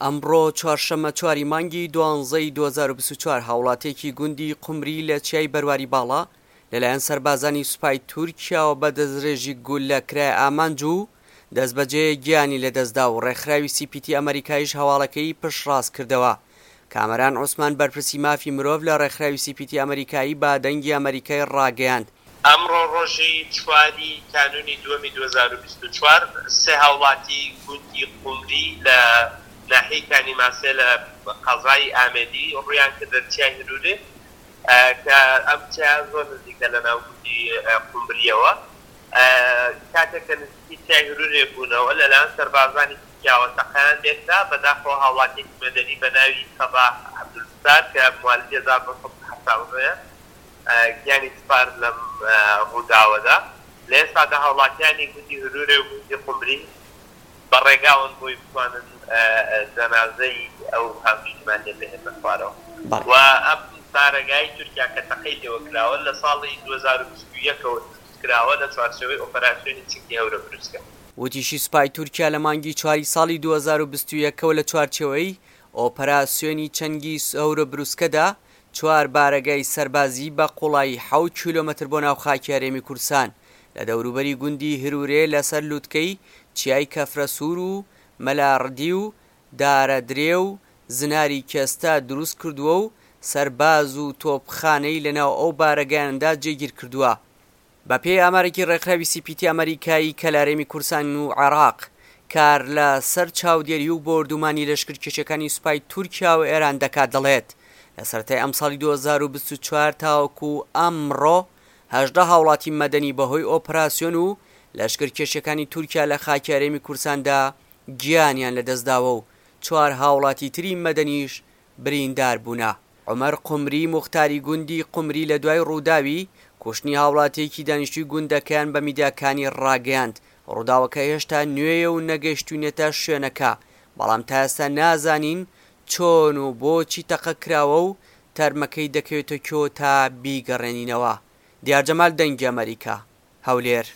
ئەمڕۆ چوارشەممە چواری مانگی دوانزەی 2024 هاوڵاتیەکی گوندی قومری لە چیای بەرواری باڵا لەلایەن سەربازانی سوپای تورکیاوە بە دەستڕێژی گوللە کرایە ئامانج و دەستبەجێ گیانی لەدەستدا و ڕێکخراوی سی پی تی ئەمەریکایش هەواڵەکەی پشتڕاست کردەوە. کامەران عوسمان بەرپرسی مافی مرۆڤ لە ڕێکخراوی سی پی تی ئەمەریکایی بە دەنگی ئەمەریکای ڕاگەیاند، ئەمڕۆ ڕۆژی چواری کانوونی دووەمی 2024 سێ هاوڵاتی گوندی قومری لە ناحیەی کانی ماسێ لە قەزای ئامێدی ڕوویان کردە چیای هرورێ کە ئەم چیایە زۆر نزیکە لە ناو گوندی قومرییەوە. کاتێک کە نزیکی چیای هرورێ بوونەوە لەلایەن سەربازانی تورکیاوە تەقەیان لێکرا، بەداخەوە هاوڵاتیەکی مەدەنی بە ناوی سەباح عەبدولستار کە موالیدی 1979 ە گیانی سپارد لەم ڕووداوەدا. لە ئێستادا هاوڵاتیانی گوندی هرورێ و گوندی قومری بە ڕێگاوەن بۆی بتوانن جەنازەی ئەو هاونیشتمانیە بهێننە خوارەوە و ئەم بارەگای تورکیا کە تەقەی لێوە کراوە لە ساڵی 2021 ەوە دروست کراوە لە چوارچێوەی ئۆپەراسیۆنی چنگی هەورە بروسکە. وتیشی سوپای تورکیا لە مانگی چواری ساڵی 2021 ەوە لە چوارچێوەی ئۆپەراسیۆنی چنگی هەورە بروسکەدا چوار بارەگای سەربازی بە قوڵایی حەوت کیلۆمەتر بۆ ناو خاکی هەرێمی کوردستان لە دەوروبەری گوندی هرورێ لەسەر لوتکەی چیای کەفرەسوور و مەلا ڕدی و دارەدرێ و زناری کێستە دروست کردووە و سەرباز و تۆپخانەی لەناو ئەو بارەگایانەدا جێگیر کردووە. بەپێی ئامارێکی ڕێکخراوی سی پی تی ئەمەریکایی کە لە هەرێمی کوردستان و عێراق کار لە سەر چاودێری و بۆردومانی لەشکرکێشیەکانی سوپای تورکیا و ئێران دەکات دەڵێت لە سەرەتای ئەمساڵی 2024 تاوەکو ئەمڕۆ 18 هاوڵاتی مەدەنی بەهۆی ئۆپراسیۆن و لەشکرکێشیەکانی تورکیا لە خاکی هەرێمی کوردستاندا گیانیان لەدەستداوە و چوار هاوڵاتی تری مەدەنیش بریندار بوونە. عومەر قومری موختاری گوندی قومری لە دوای ڕووداوی کوشتنی هاوڵاتییەکی دانیشتووی گوندەکەیان بە میدیاکانی ڕاگەیاند، ڕووداوەکە هێشتا نوێیە و نەگەیشتووینەتە شوێنەکە، بەڵام تا ئێستا نازانین چۆن و بۆچی تەقە کراوە و تەرمەکەی دەکەوێتە کوێ تا بیگەڕێنینەوە. دیار جەمال دەنگی ئەمەریکا، هەولێر.